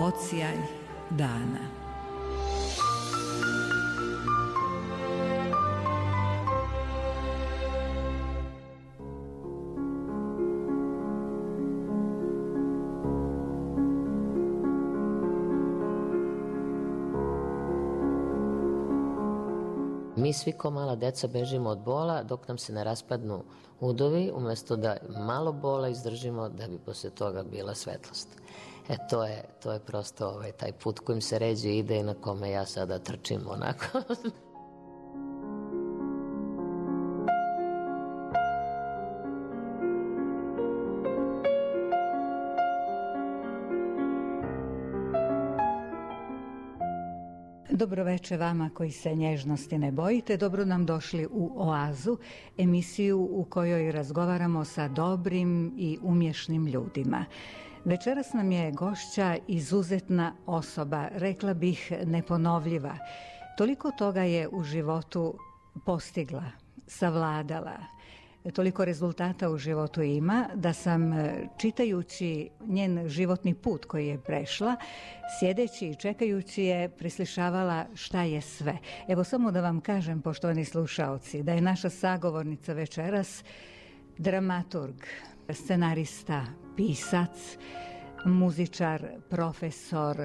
Odsjaj dana. Mi svi ko mala deca bežimo od bola dok nam se ne raspadnu udovi, umjesto da malo bola izdržimo da bi posle toga bila svetlost. To je prosto taj put kojim se ređe ide i na kome ja sada trčim onako. Dobroveče vama koji se nježnosti ne bojite, dobro nam došli u Oazu, emisiju u kojoj razgovaramo sa dobrim i umješnim ljudima. Večeras nam je gošća izuzetna osoba, rekla bih neponovljiva. Toliko toga je u životu postigla, savladala, toliko rezultata u životu ima da sam, čitajući njen životni put koji je prešla, sjedeći i čekajući je, preslišavala šta je sve. Evo samo da vam kažem, poštovani slušaoci, da je naša sagovornica večeras dramaturg, scenarista, pisac, muzičar, profesor,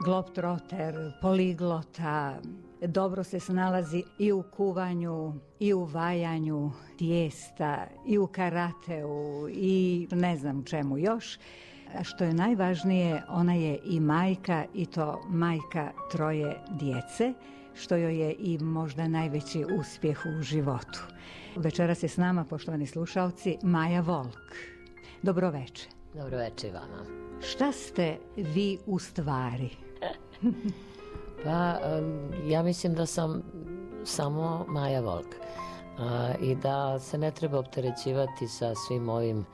globtroter, poliglota, dobro se snalazi i u kuvanju, i u vajanju tijesta, i u karateu, i ne znam čemu još. A što je najvažnije, ona je i majka, i to majka 3 djece, što joj je i možda najveći uspjeh u životu. Večeras je s nama, poštovani slušalci, Maja Volk. Dobroveče. Dobroveče i vama. Šta ste vi u stvari? Pa, ja mislim da sam samo Maja Volk i da se ne treba opterećivati sa svim ovim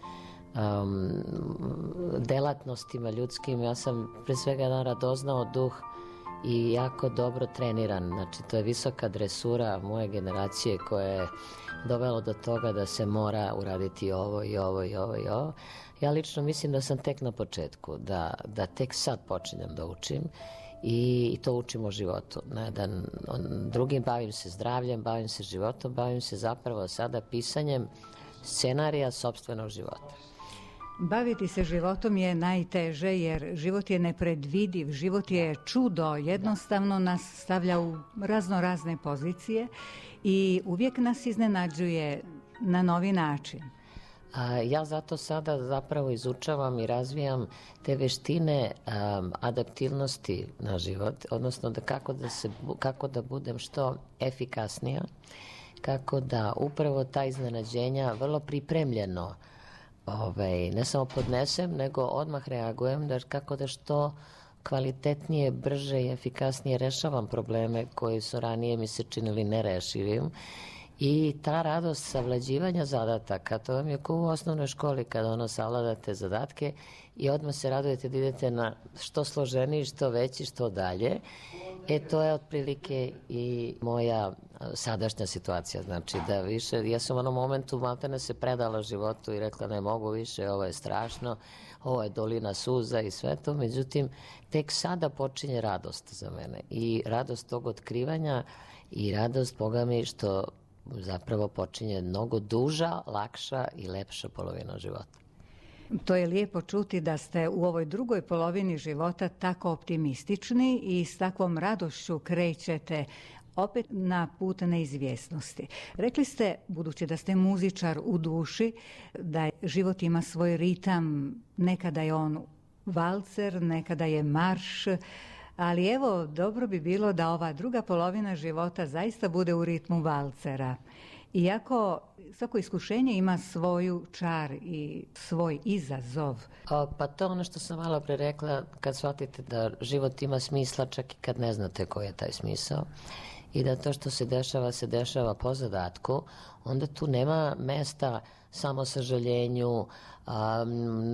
delatnostima ljudskim. Ja sam pre svega jedan radoznao duh i jako dobro treniran. Znači, to je visoka dresura moje generacije koja je dovelo do toga da se mora uraditi ovo i ovo i ovo i ovo. Ja lično mislim da sam tek na početku, da tek sad počinjem da učim i to učim o životu. Drugim bavim se zdravljem, bavim se životom, bavim se zapravo sada pisanjem scenarija sopstvenog života. Baviti se životom je najteže jer život je nepredvidiv, život je čudo, jednostavno nas stavlja u razne pozicije i uvijek nas iznenađuje na novi način. Ja zato sada zapravo izučavam i razvijam te veštine adaptivnosti na život, odnosno kako da budem što efikasnija, kako da upravo ta iznenađenja vrlo pripremljeno ne samo podnesem, nego odmah reagujem, kako da što kvalitetnije, brže i efikasnije rešavam probleme koji su ranije mi se činili nerešivim. I ta radost savlađivanja zadataka, to vam je kao u osnovnoj školi kada savladate zadatke i odmah se radujete da idete na što složeniji, što veći, što dalje. To je otprilike i moja sadašnja situacija. Znači da više, ja sam u onom momentu maltene se predala životu i rekla ne mogu više, ovo je strašno, ovo je dolina suza i sve to. Međutim, tek sada počinje radost za mene i radost tog otkrivanja i radost, Boga mi, što zapravo počinje mnogo duža, lakša i lepša polovina života. To je lijepo čuti da ste u ovoj drugoj polovini života tako optimistični i s takvom radošću krećete opet na put neizvjesnosti. Rekli ste, budući da ste muzičar u duši, da život ima svoj ritam, nekada je on valcer, nekada je marš, ali evo, dobro bi bilo da ova druga polovina života zaista bude u ritmu valcera. Iako svako iskušenje ima svoju čar i svoj izazov. Pa to ono što sam malo pre rekla, kad shvatite da život ima smisla čak i kad ne znate koji je taj smisao i da to što se dešava po zadatku, onda tu nema mesta samo sažaljenju,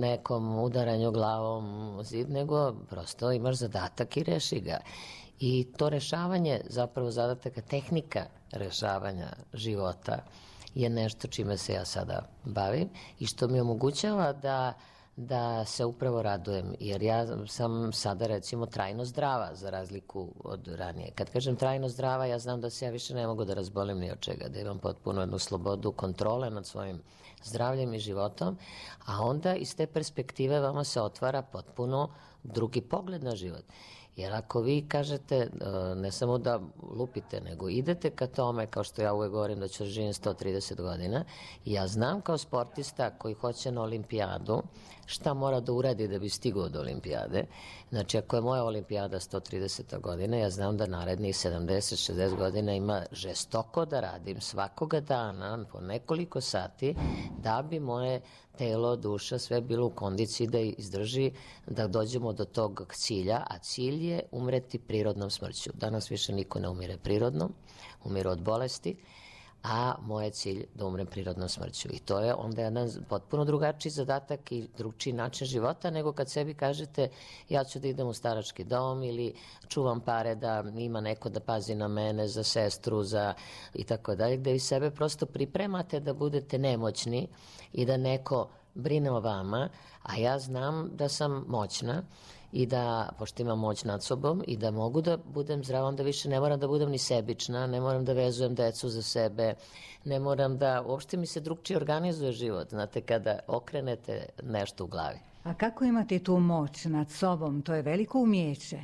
nekom udaranju glavom u zid, nego prosto imaš zadatak i reši ga. I to rešavanje, zapravo zadataka, tehnika rešavanja života je nešto čime se ja sada bavim i što mi omogućava da se upravo radujem, jer ja sam sada recimo trajno zdrava za razliku od ranije. Kad kažem trajno zdrava, ja znam da se ja više ne mogu da razbolim ni od čega, da imam potpuno jednu slobodu kontrole nad svojim zdravljem i životom, a onda iz te perspektive vama se otvara potpuno drugi pogled na život. Jer ako vi kažete, ne samo da lupite, nego idete ka tome, kao što ja uvek govorim da ću da živim 130 godina, ja znam kao sportista koji hoće na olimpijadu šta mora da uradi da bi stigao do olimpijade. Znači, ako je moja olimpijada 130. godina, ja znam da narednih 70-60 godina ima žestoko da radim svakoga dana po nekoliko sati da bi moje telo, duša, sve bilo u kondiciji da izdrži da dođemo do tog cilja, a cilj je umreti prirodnom smrću. Danas više niko ne umire prirodno, umire od bolesti, a moj je cilj da umrem prirodnom smrću. I to je onda jedan potpuno drugačiji zadatak i drugčiji način života nego kad sebi kažete ja ću da idem u starački dom ili čuvam pare da ima neko da pazi na mene, za sestru, za i tako dalje, gde vi sebe prosto pripremate da budete nemoćni i da neko brine o vama, a ja znam da sam moćna i da, pošto imam moć nad sobom i da mogu da budem zdrava, onda više ne moram da budem ni sebična, ne moram da vezujem decu za sebe, ne moram da, uopšte mi se drugčije organizuje život, znate, kada okrenete nešto u glavi. A kako imate tu moć nad sobom? To je veliko umijeće.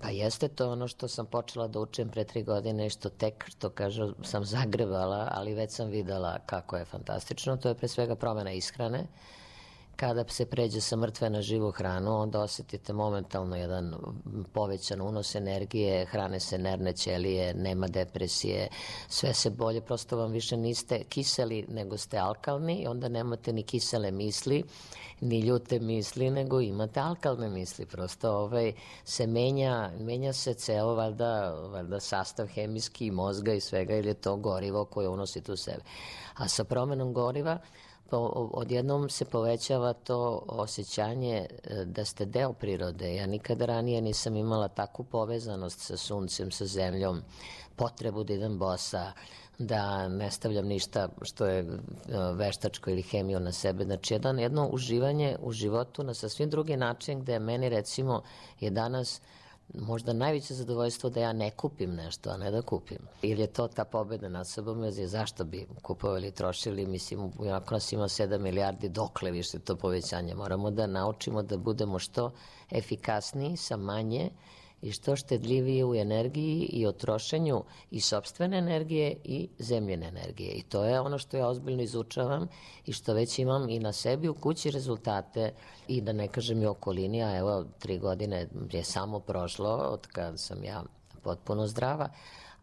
Pa jeste, to ono što sam počela da učim pre 3 godine i što tek, što kažu, sam zagrevala, ali već sam videla kako je fantastično. To je pre svega promjena ishrane. Kada se pređe sa mrtve na živu hranu, onda osetite momentalno jedan povećan unos energije, hrane se nervne ćelije, nema depresije, sve se bolje, prosto vam više niste kiseli nego ste alkalni i onda nemate ni kisele misli, ni ljute misli, nego imate alkalne misli. Prosto se menja se ceo valjda sastav hemijski mozga i svega, ili je to gorivo koje unosite u sebe. A sa promenom goriva odjednom se povećava to osjećanje da ste deo prirode. Ja nikada ranije nisam imala takvu povezanost sa suncem, sa zemljom, potrebu da idem bosa, da ne stavljam ništa što je veštačko ili hemiju na sebe. Znači, jedno uživanje u životu na sasvim drugi način, gde meni recimo je danas možda najveće zadovoljstvo da ja ne kupim nešto, a ne da kupim. Ili je to ta pobeda nad sobom, jer zašto bi kupovali i trošili, mislim, ako nas ima 7 milijardi, dokle više to povećanje? Moramo da naučimo da budemo što efikasniji sa manje i što štedljiviji u energiji i o trošenju i sopstvene energije i zemljene energije. I to je ono što ja ozbiljno izučavam i što već imam i na sebi u kući rezultate i da ne kažem i okolini, a evo 3 godine je samo prošlo od kada sam ja potpuno zdrava,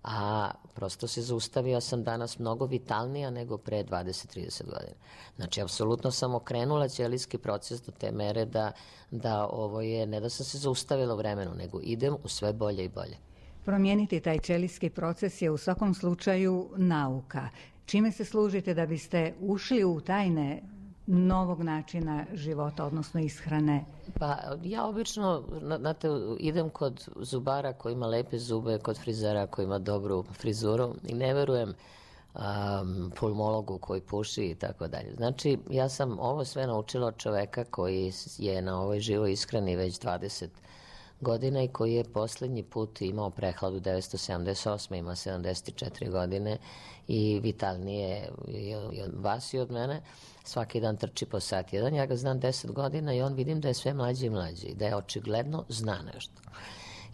a prosto se zaustavio sam danas mnogo vitalnija nego pre 20-30 godina. Znači, apsolutno sam okrenula ćelijski proces do te mere da ovo je, ne da sam se zaustavila u vremenu, nego idem u sve bolje i bolje. Promijeniti taj ćelijski proces je u svakom slučaju nauka. Čime se služite da biste ušli u tajne novog načina života, odnosno ishrane? Pa ja obično, znate, idem kod zubara koji ima lepe zube, kod frizera koji ima dobru frizuru i ne verujem pulmologu koji puši i tako dalje. Znači, ja sam ovo sve naučila od čoveka koji je na ovoj živoj ishrani već 20 godina i koji je poslednji put imao prehladu 1978. ima 74 godine i vitalnije i od vas i od mene. Svaki dan trči po sat jedan. Ja ga znam 10 godina i on vidim da je sve mlađi i mlađi. Da je očigledno zna nešto.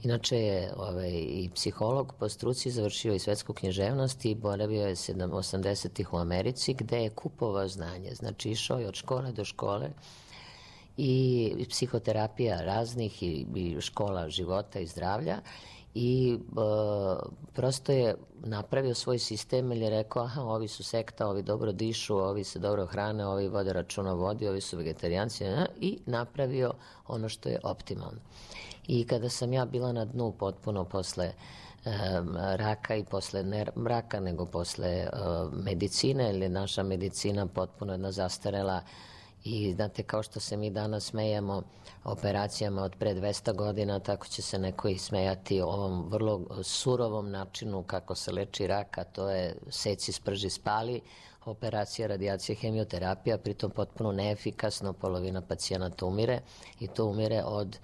Inače je i psiholog po struci, završio i svetsku književnost i boravio je 80-ih u Americi gde je kupovao znanje. Znači išao je od škole do škole i psihoterapija raznih i škola života i zdravlja i prosto je napravio svoj sistem ili je rekao, aha, ovi su sekta, ovi dobro dišu, ovi se dobro hrane, ovi vode računa o vodi, ovi su vegetarijanci i napravio ono što je optimalno. I kada sam ja bila na dnu potpuno posle raka i posle ne raka, nego posle medicine, ili naša medicina potpuno jedna zastarela. I znate, kao što se mi danas smejemo operacijama od pre 200 godina, tako će se neko i smejati ovom vrlo surovom načinu kako se leči rak, a to je seci, sprži, spali. operacija, radijacija, hemioterapija, pritom potpuno neefikasno, polovina pacijenata umire i to umire od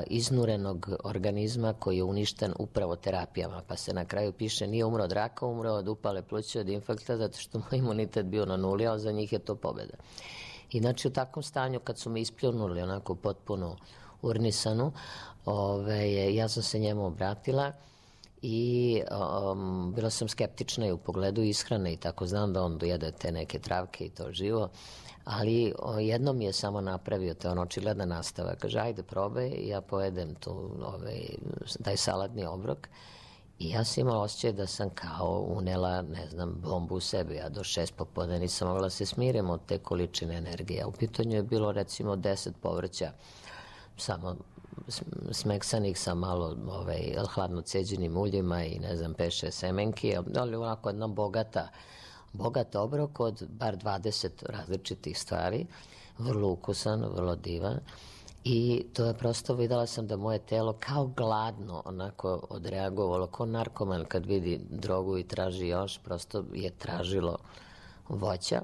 iznurenog organizma koji je uništen upravo terapijama, pa se na kraju piše nije umro od raka, umro od upale pluća, od infarkta, zato što mu imunitet bio na nuli, a za njih je to pobeda. I znači u takvom stanju kad su me ispljunuli onako potpuno urnisanu, ja sam se njemu obratila i bila sam skeptična i u pogledu ishrane i tako, znam da on dojede te neke travke i to živo, ali jednom je samo napravio, to je očigledna nastava, kaže ajde probaj, ja pojedem tu taj salatni obrok i ja sam imala osjećaj da sam kao unela, ne znam, bombu u sebi, ja do 6 popodne nisam mogla se smirim od te količine energije. U pitanju je bilo recimo 10 povrća, samo smeksanih sa malo hladno ceđenim uljima i ne znam, 5-6 semenki, ali onako jedna bogat obrok od bar 20 različitih stvari, vrlo ukusan, vrlo divan. I to je prosto, videla sam da moje telo kao gladno onako odreagovalo, kao narkoman kad vidi drogu i traži još, prosto je tražilo voća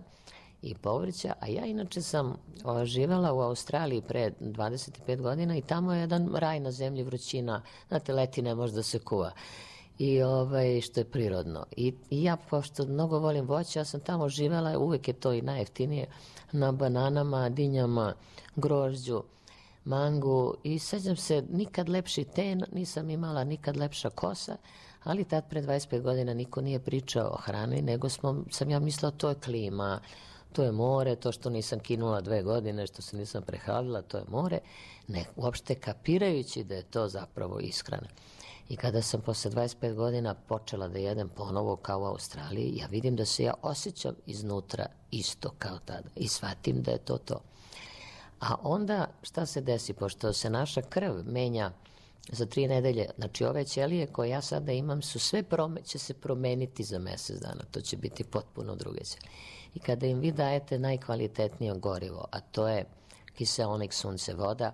i povrća, a ja inače sam živela u Australiji pre 25 godina i tamo je jedan raj na zemlji, vrućina, znate, leti ne može da se kuva. I što je prirodno. I ja, pošto mnogo volim voće, ja sam tamo živela, uvek je to i najjeftinije, na bananama, dinjama, grožđu, mangu i sećam se, nikad lepši ten, nisam imala nikad lepša kosa, ali tad pre 25 godina niko nije pričao o hrani, nego sam ja mislila to je klima, to je more, to što nisam kinula 2 godine, što se nisam prehladila, to je more, ne, uopšte kapirajući da je to zapravo ishrana. I kada sam posle 25 godina počela da jedem ponovo kao u Australiji, ja vidim da se ja osjećam iznutra isto kao tada i shvatim da je to to. A onda šta se desi, pošto se naša krv menja za 3 nedelje, znači ove ćelije koje ja sada imam su sve će se promeniti za mesec dana, to će biti potpuno druge ćelije. I kada im vi dajete najkvalitetnije gorivo, a to je kiseonik, sunce, voda,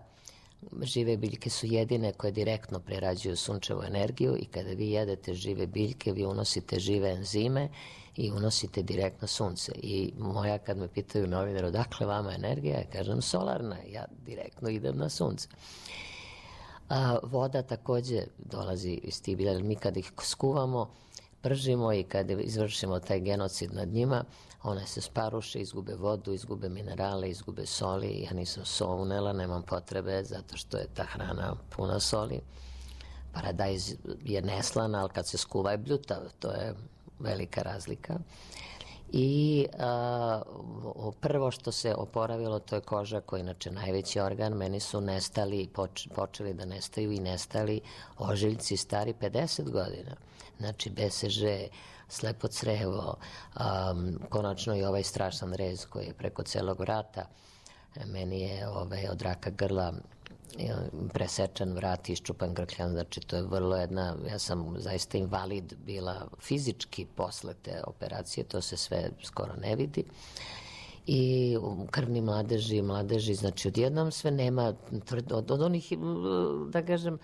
žive biljke su jedine koje direktno prerađuju sunčevu energiju i kada vi jedete žive biljke, vi unosite žive enzime i unosite direktno sunce. I moja, kad me pitaju novinar odakle vama energija, ja kažem solarna, ja direktno idem na sunce. Voda takođe dolazi iz tih bilja, mi kad ih skuvamo, pržimo i kad izvršimo taj genocid nad njima, one se sparuše, izgube vodu, izgube minerale, izgube soli. Ja nisam so unela, nemam potrebe, zato što je ta hrana puna soli. Paradajz je neslana, ali kad se skuva je bljutav, to je velika razlika. I prvo što se oporavilo, to je koža, koja je inače najveći organ. Meni su nestali, počeli da nestaju i nestali ožiljci stari 50 godina. Znači BCG, slepo crevo, konačno i ovaj strašan rez koji je preko celog vrata. Meni je od raka grla presečan vrat i iščupan grkljan, znači to je vrlo jedna, ja sam zaista invalid bila fizički posle te operacije, to se sve skoro ne vidi. I krvni mladeži, znači odjednom sve nema, od onih, da kažem,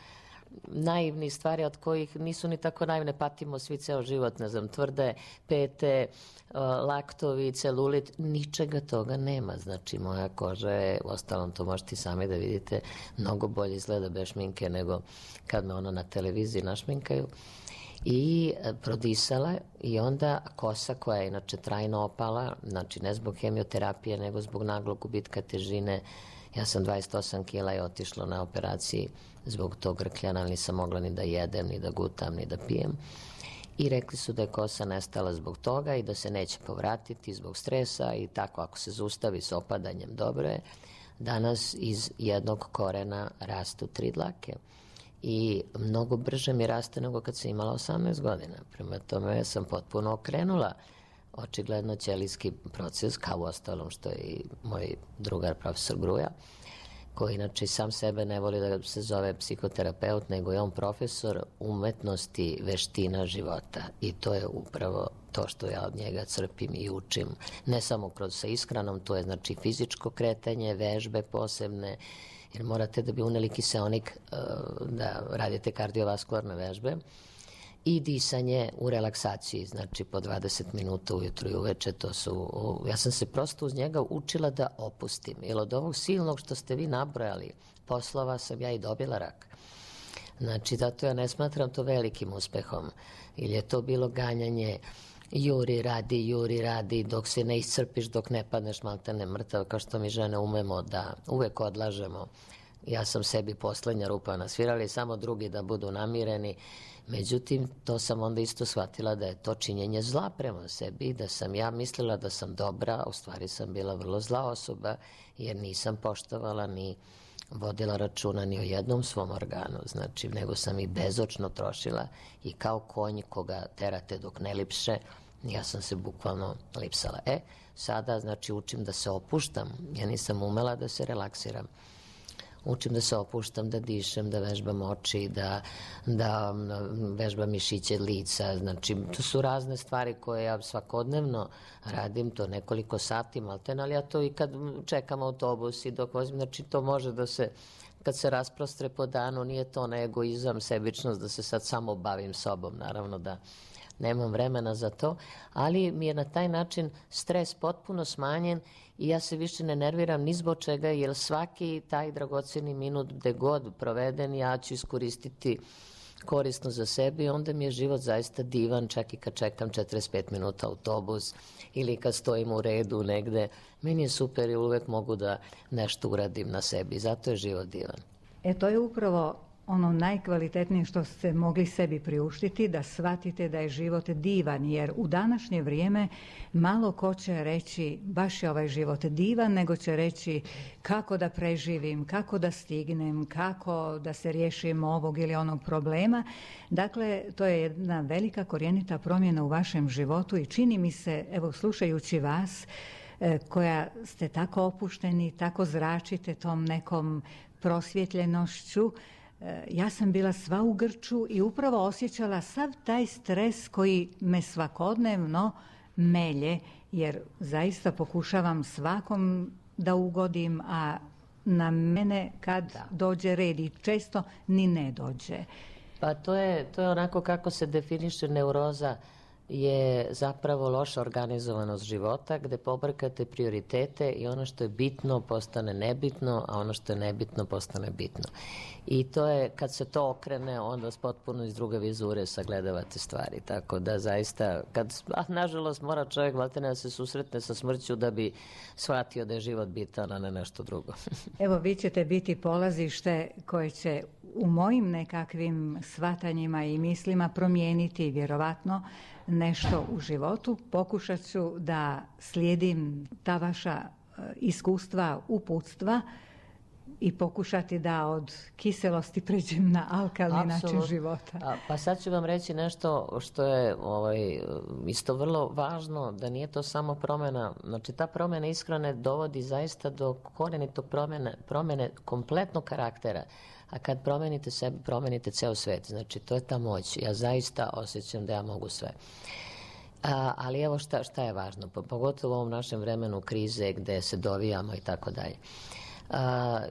naivnih stvari od kojih nisu ni tako naivne, patimo svi ceo život, ne znam, tvrde pete, laktovi, celulit, ničega toga nema. Znači, moja koža je, ostalom to možete i sami da vidite, mnogo bolje izgleda bez šminke nego kad me ona na televiziji našminkaju. I prodisala i onda kosa koja je inače trajno opala, znači ne zbog hemioterapije nego zbog naglog gubitka težine. Ja sam 28 kila i otišla na operaciji zbog tog grkljana, ali nisam mogla ni da jedem, ni da gutam, ni da pijem. I rekli su da je kosa nestala zbog toga i da se neće povratiti zbog stresa i tako ako se zaustavi s opadanjem, dobro je. Danas iz jednog korena rastu 3 dlake i mnogo brže mi raste nego kad sam imala 18 godina. Prema tome sam potpuno okrenula očigledno ćelijski proces, kao u ostalom što je i moj drugar profesor Gruja, koji inače sam sebe ne voli da se zove psihoterapeut, nego je on profesor umetnosti veština života i to je upravo to što ja od njega crpim i učim. Ne samo sa ishranom, to je znači fizičko kretanje, vežbe posebne, jer morate da bi uneli kiseonik da radite kardiovaskularne vežbe i disanje u relaksaciji, znači po 20 minuta ujutru i uveče, ja sam se prosto uz njega učila da opustim, jer od ovog silnog što ste vi nabrojali poslova sam ja i dobila rak. Znači, zato ja ne smatram to velikim uspehom, ili je to bilo ganjanje, juri radi, dok se ne iscrpiš, dok ne padneš maltene mrtav, kao što mi žene umemo da uvek odlažemo. Ja sam sebi poslednja rupa nasvirala i samo drugi da budu namireni. Međutim, to sam onda isto shvatila da je to činjenje zla prema sebi, da sam ja mislila da sam dobra, a u stvari sam bila vrlo zla osoba, jer nisam poštovala ni vodila računa ni o jednom svom organu, znači, nego sam i bezočno trošila i kao konj koga terate dok ne lipše, ja sam se bukvalno lipsala. Sada, znači, učim da se opuštam, ja nisam umela da se relaksiram. Učim da se opuštam, da dišem, da vežbam oči, da vežbam mišiće lica. Znači, to su razne stvari koje ja svakodnevno radim, to nekoliko sati maltene, ali ja to i kad čekam autobus i dok vozim, znači to može da se, kad se rasprostre po danu, nije to na egoizam, sebičnost, da se sad samo bavim sobom, naravno da nemam vremena za to, ali mi je na taj način stres potpuno smanjen i ja se više ne nerviram ni zbog čega, jer svaki taj dragoceni minut gde god proveden ja ću iskoristiti korisno za sebe i onda mi je život zaista divan, čak i kad čekam 45 minuta autobus ili kad stojim u redu negde. Meni je super i uvek mogu da nešto uradim na sebi, zato je život divan. To je upravo ono najkvalitetnije što ste mogli sebi priuštiti, da shvatite da je život divan, jer u današnje vrijeme malo ko će reći baš je ovaj život divan, nego će reći kako da preživim, kako da stignem, kako da se riješim ovog ili onog problema. Dakle, to je jedna velika korjenita promjena u vašem životu i čini mi se, evo slušajući vas, koja ste tako opušteni, tako zračite tom nekom prosvjetljenošću, ja sam bila sva u grču i upravo osjećala sav taj stres koji me svakodnevno melje, jer zaista pokušavam svakom da ugodim, a na mene kad dođe red i često ni ne dođe. Pa to je onako kako se definiše neuroza, je zapravo loša organizovanost života gde pobrkate prioritete i ono što je bitno postane nebitno, a ono što je nebitno postane bitno. I to je, kad se to okrene, onda potpuno iz druge vizure sagledavate stvari. Tako da zaista, nažalost mora čovjek maltene da se susretne sa smrću da bi shvatio da je život bitan, a ne nešto drugo. Evo, vi ćete biti polazište koje će u mojim nekakvim shvatanjima i mislima promijeniti vjerovatno nešto u životu. Pokušat ću da slijedim ta vaša iskustva, uputstva i pokušati da od kiselosti pređem na alkalni način života. Pa sad ću vam reći nešto što je isto vrlo važno, da nije to samo promjena, znači ta promjena ishrane dovodi zaista do korenitog promjene kompletnog karaktera. A kad promenite sebe, promenite ceo svet. Znači, to je ta moć. Ja zaista osjećam da ja mogu sve. Ali evo šta je važno, pogotovo u ovom našem vremenu krize gde se dovijamo i tako dalje.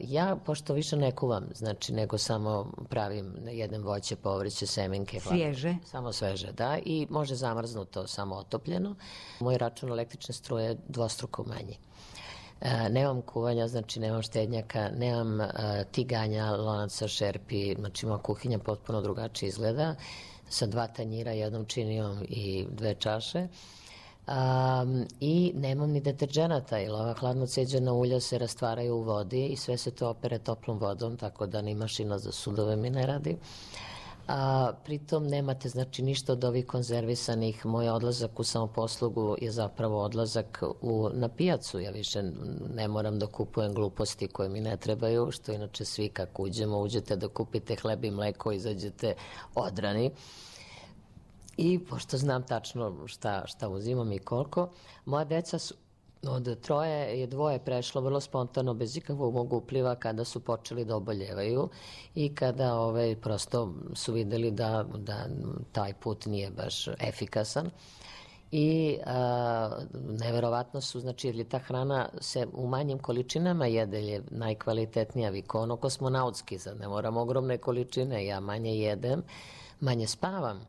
Ja, pošto više ne kuvam, znači, nego samo pravim jedem voće, povrće, semenke. Svježe? Samo sveže, da. I može zamrznuto, samo otopljeno. Moj račun električne struje je dvostruko manji. Nemam kuvanja, znači nemam štednjaka, nemam tiganja, lonaca, šerpi, znači moja kuhinja potpuno drugačije izgleda, sa 2 tanjira, 1 činijom i 2 čaše. I nemam ni deterđenata, jer ova hladno ceđena ulja se rastvaraju u vodi i sve se to opere toplom vodom, tako da ni mašina za sudove mi ne radi. Pritom nemate, znači, ništa od ovih konzervisanih. Moj odlazak u samoposlugu je zapravo odlazak na pijacu. Ja više ne moram da kupujem gluposti koje mi ne trebaju, što inače svi kako uđete da kupite hleb i mleko, izađete odrani. I pošto znam tačno šta uzimam i koliko, moja deca su od 3 je 2 prešlo vrlo spontano, bez ikakvog mog upliva, kada su počeli da oboljevaju i kada prosto su videli da taj put nije baš efikasan. I neverovatno su, znači, jer je ta hrana se u manjim količinama jede, je najkvalitetnija, vikono kosmonautski, sad ne moram ogromne količine, ja manje jedem, manje spavam.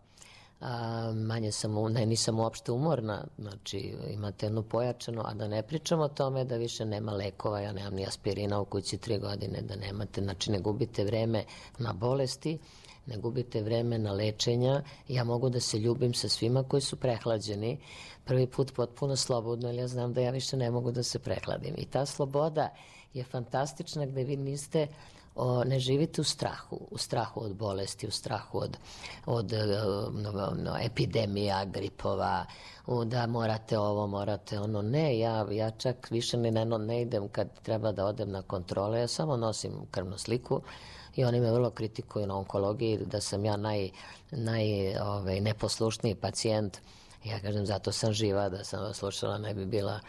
nisam uopšte umorna, znači imate jednu pojačanu, a da ne pričam o tome da više nema lekova, ja nemam ni aspirina u kući 3 godine, da nemate, znači ne gubite vreme na bolesti, ne gubite vreme na lečenja, ja mogu da se ljubim sa svima koji su prehlađeni, prvi put potpuno slobodno, jer ja znam da ja više ne mogu da se prehladim. I ta sloboda je fantastična gde vi ne živite u strahu od bolesti, u strahu od epidemija, gripova, da morate ovo, morate ono. Ne, ja čak više ne idem kad treba da odem na kontrole, ja samo nosim krvnu sliku i oni me vrlo kritikuju na onkologiji da sam ja neposlušniji pacijent. Ja kažem, zato sam živa, da sam vas slušala ne bi bila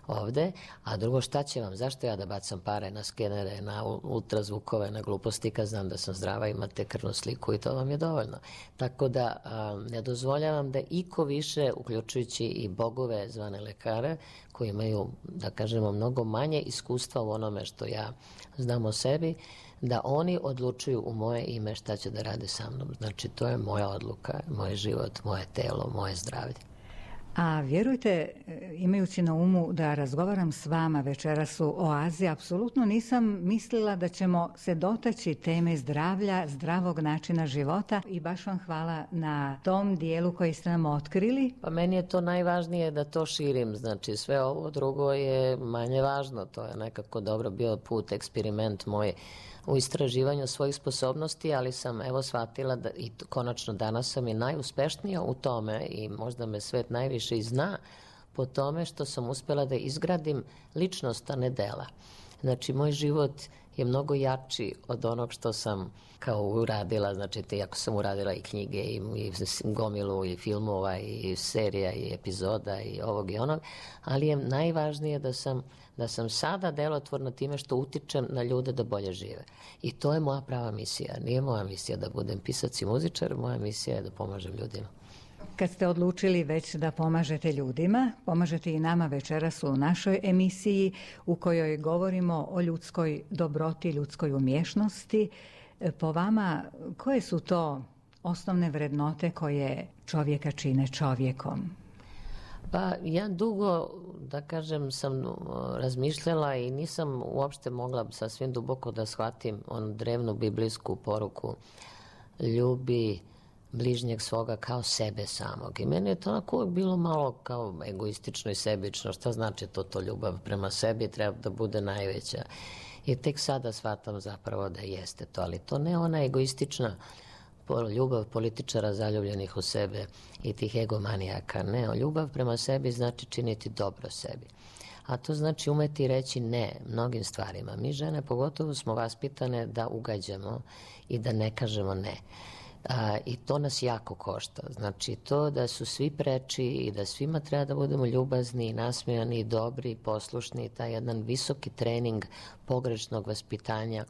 ovde, a drugo, šta će vam, zašto ja da bacam pare na skenere, na ultrazvukove, na gluposti, kad znam da sam zdrava, imate krvnu sliku i to vam je dovoljno. Tako da ne dozvoljavam da iko više, uključujući i bogove zvane lekare, koji imaju, da kažemo, mnogo manje iskustva u onome što ja znam o sebi, da oni odlučuju u moje ime šta će da rade sa mnom. Znači, to je moja odluka, moj život, moje telo, moje zdravlje. A vjerujte, imajući na umu da razgovaram s vama večeras u Oazi, apsolutno nisam mislila da ćemo se dotaći teme zdravlja, zdravog načina života i baš vam hvala na tom dijelu koji ste nam otkrili. Pa meni je to najvažnije da to širim, znači sve ovo drugo je manje važno, to je nekako dobro bio put, eksperiment moj u istraživanju svojih sposobnosti, ali sam shvatila da i konačno danas sam i najuspešnija u tome i možda me svet najviše i zna po tome što sam uspela da izgradim ličnost, a ne dela. Znači, moj život je mnogo jači od onog što sam kao uradila, znači ako sam uradila i knjige i gomilu i filmova i serija i epizoda i ovog i onog, ali je najvažnije da sam sada delotvorna time što utičem na ljude da bolje žive. I to je moja prava misija. Nije moja misija da budem pisac i muzičar, moja misija je da pomažem ljudima. Kad ste odlučili već da pomažete ljudima, pomažete i nama večeras u našoj emisiji u kojoj govorimo o ljudskoj dobroti, ljudskoj umješnosti. Po vama, koje su to osnovne vrednote koje čovjeka čine čovjekom? Pa ja dugo, da kažem, sam razmišljala i nisam uopšte mogla sasvim duboko da shvatim onu drevnu biblijsku poruku ljubi bližnjeg svoga kao sebe samog. I meni je to onako uvijek bilo malo kao egoistično i sebično. Šta znači to ljubav prema sebi treba da bude najveća. I tek sada shvatam zapravo da jeste to, ali to ne ona egoistična ljubav političara zaljubljenih u sebe i tih egomanijaka. Ne, ljubav prema sebi znači činiti dobro sebi. A to znači umeti reći ne mnogim stvarima. Mi žene pogotovo smo vaspitane da ugađamo i da ne kažemo ne. I to nas jako košta. Znači to da su svi preči i da svima treba da budemo ljubazni i nasmejani i dobri i poslušni, taj jedan visoki trening pogrešnog vaspitanja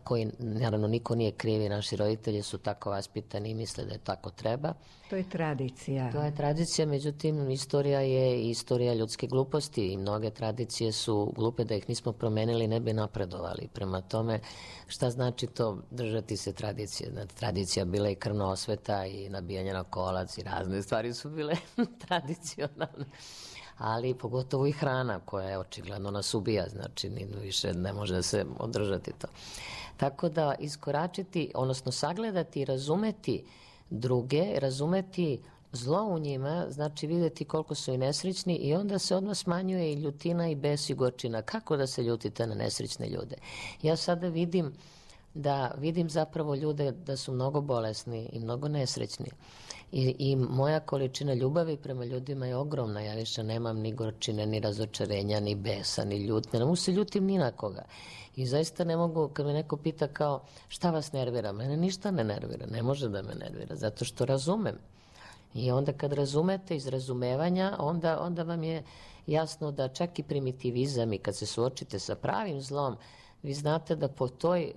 koji naravno niko nije krivi, naši roditelji su tako vaspitani i misle da je tako treba. To je tradicija. To je tradicija, međutim istorija je istorija ljudske gluposti i mnoge tradicije su glupe, da ih nismo promenili ne bi napredovali. Prema tome, šta znači to držati se tradicije? Tradicija bila i krvna osveta i nabijanje na kolac i razne stvari su bile tradicionalne. Ali pogotovo i hrana koja je očigledno nas ubija, znači više ne može da se održati to. Tako da iskoračiti, odnosno sagledati i razumeti druge, razumeti zlo u njima, znači vidjeti koliko su i nesrećni i onda se odmah smanjuje i ljutina i bes i gorčina. Kako da se ljutite na nesrećne ljude? Ja sada vidim zapravo ljude da su mnogo bolesni i mnogo nesrećni. I moja količina ljubavi prema ljudima je ogromna. Ja više nemam ni gorčine, ni razočarenja, ni besa, ni ljutne. Ne mogu se ljutim ni na koga. I zaista ne mogu, kad me neko pita kao šta vas nervira, mene ništa ne nervira, ne može da me nervira, zato što razumem. I onda kad razumete iz razumevanja, onda vam je jasno da čak i primitivizam i kad se suočite sa pravim zlom, vi znate da po toj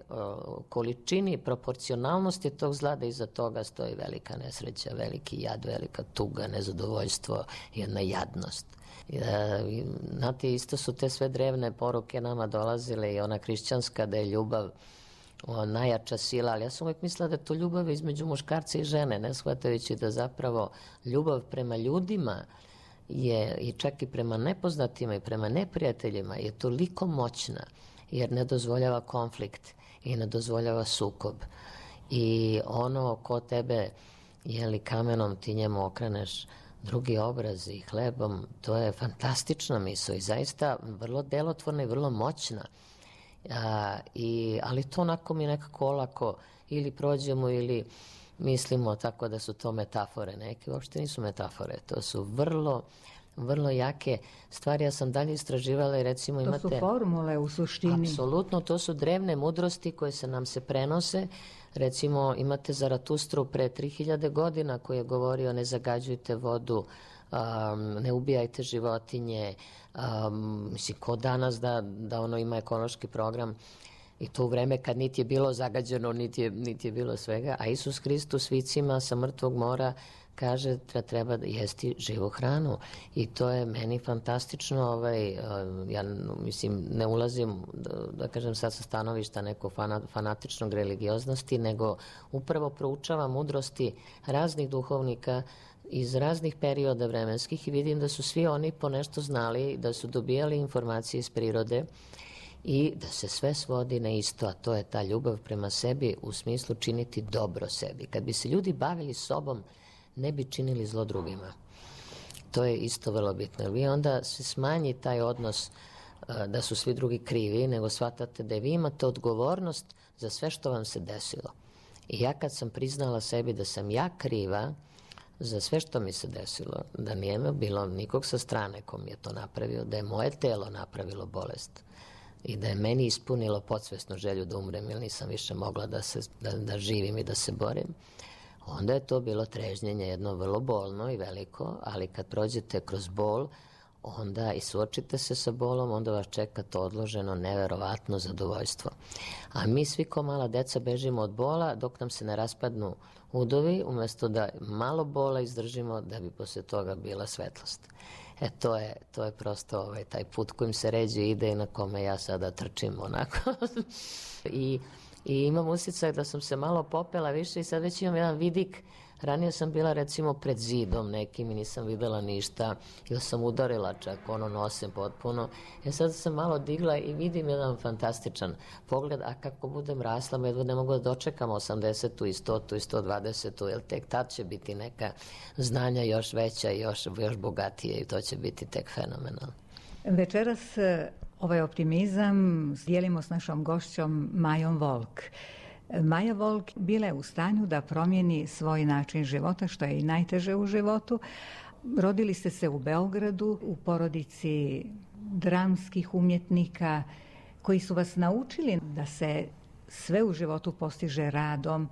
količini proporcionalnosti tog zla da iza toga stoji velika nesreća, veliki jad, velika tuga, nezadovoljstvo, jedna jadnost. Znate, isto su te sve drevne poruke nama dolazile i ona hrišćanska da je ljubav najjača sila, ali ja sam uvijek mislila da je to ljubav između muškarca i žene, ne shvatajući da zapravo ljubav prema ljudima je, i čak i prema nepoznatima i prema neprijateljima, je toliko moćna, jer ne dozvoljava konflikt i ne dozvoljava sukob. I ono ko tebe, jeli kamenom, ti njemu okreneš drugi obraz i hlebom, to je fantastična misao i zaista vrlo delotvorna i vrlo moćna. Ali to onako mi nekako olako ili prođemo ili mislimo tako da su to metafore neke. Uopšte nisu metafore, to su vrlo jake stvari. Ja sam dalje istraživala i recimo imate... To su formule u suštini. Apsolutno, to su drevne mudrosti koje nam se prenose. Recimo imate Zaratustru pre 3000 godina koji je govorio ne zagađujte vodu, ne ubijajte životinje, mislim ko danas da ono ima ekološki program i to u vreme kad niti je bilo zagađeno, niti je bilo svega, a Isus Hristos vicima sa mrtvog mora kaže da treba jesti živu hranu i to je meni fantastično. Ja mislim ne ulazim da kažem sad sa stanovišta nekog fanatičnog religioznosti, nego upravo proučavam mudrosti raznih duhovnika iz raznih perioda vremenskih i vidim da su svi oni po nešto znali, da su dobijali informacije iz prirode i da se sve svodi na isto, a to je ta ljubav prema sebi u smislu činiti dobro sebi. Kad bi se ljudi bavili sobom, ne bi činili zlo drugima. To je isto vrlo bitno. Jer vi onda se smanji taj odnos da su svi drugi krivi, nego shvatate da vi imate odgovornost za sve što vam se desilo. I ja kad sam priznala sebi da sam ja kriva za sve što mi se desilo, da nije bilo nikog sa strane ko mi je to napravio, da je moje telo napravilo bolest i da je meni ispunilo podsvesnu želju da umrem jer nisam više mogla da živim i da se borim, onda je to bilo trežnjenje jedno vrlo bolno i veliko, ali kad prođete kroz bol, onda i suočite se sa bolom, onda vas čeka to odloženo, neverovatno zadovoljstvo. A mi svi ko mala deca bežimo od bola dok nam se ne raspadnu udovi, umjesto da malo bola izdržimo da bi posle toga bila svetlost. To je prosto taj put kojim se ređe ide i na kome ja sada trčim onako. I imam osjećaj da sam se malo popela više i sad već imam jedan vidik. Ranije sam bila recimo pred zidom nekim i nisam videla ništa ili sam udarila čak nosem potpuno. Sad sam malo digla i vidim jedan fantastičan pogled, a kako budem rasla, jedva ne mogu da dočekam 80. i 100. i 120. jer tek tad će biti neka znanja još veća i još bogatije i to će biti tek fenomenalno. Večeras ovaj optimizam dijelimo s našom gošćom Majom Volk. Maja Volk bila je u stanju da promijeni svoj način života, što je i najteže u životu. Rodili ste se u Beogradu, u porodici dramskih umjetnika koji su vas naučili da se sve u životu postiže radom,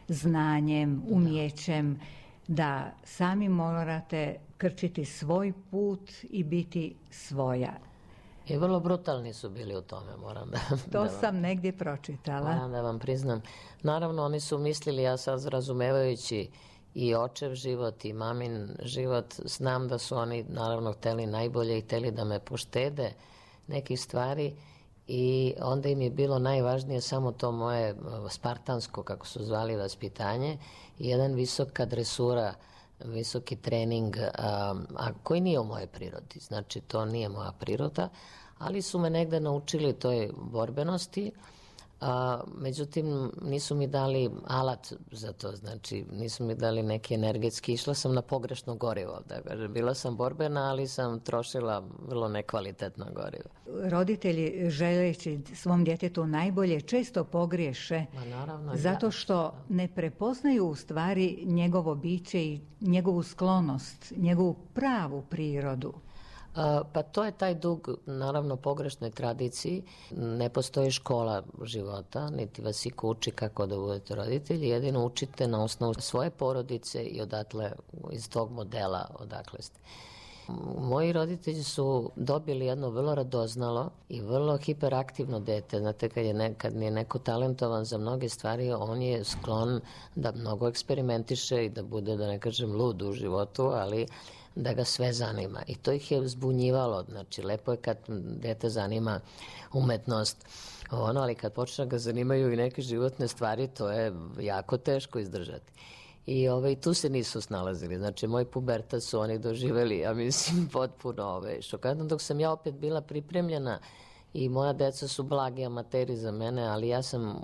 znanjem, umjećem, da sami morate krčiti svoj put i biti svoja. I vrlo brutalni su bili u tome, moram To sam negdje pročitala. Moram da vam priznam. Naravno, oni su mislili, ja sad razumevajući i očev život i mamin život, znam da su oni naravno hteli najbolje i hteli da me poštede nekih stvari i onda im je bilo najvažnije samo to moje spartansko, kako su zvali, vaspitanje i jedan visoka dresura, visoki trening, a koji nije u mojoj prirodi. Znači, to nije moja priroda, ali su me negde naučili toj borbenosti. Međutim, nisu mi dali alat za to, znači nisu mi dali neki energetski, išla sam na pogrešno gorivo, bila sam borbena, ali sam trošila vrlo nekvalitetno gorivo. Roditelji želeći svom djetetu najbolje često pogriješe, zato što ne prepoznaju u stvari njegovo biće i njegovu sklonost, njegovu pravu prirodu. Pa to je taj dug, naravno, pogrešnoj tradiciji. Ne postoji škola života, niti vas iko uči kako da budete roditelji, jedino učite na osnovu svoje porodice i odatle, iz tog modela odakle ste. Moji roditelji su dobili jedno vrlo radoznalo i vrlo hiperaktivno dete. Znate, kad je neko talentovan za mnoge stvari, on je sklon da mnogo eksperimentiše i da bude, da ne kažem, lud u životu, ali da ga sve zanima. I to ih je zbunjivalo. Znači, lepo je kad dete zanima umetnost, ali kad počne ga zanimaju i neke životne stvari, to je jako teško izdržati. I tu se nisu snalazili. Znači, moj pubertat su oni doživeli, ja mislim, potpuno šokantno, dok sam ja opet bila pripremljena i moja deca su blagi amateri za mene, ali ja sam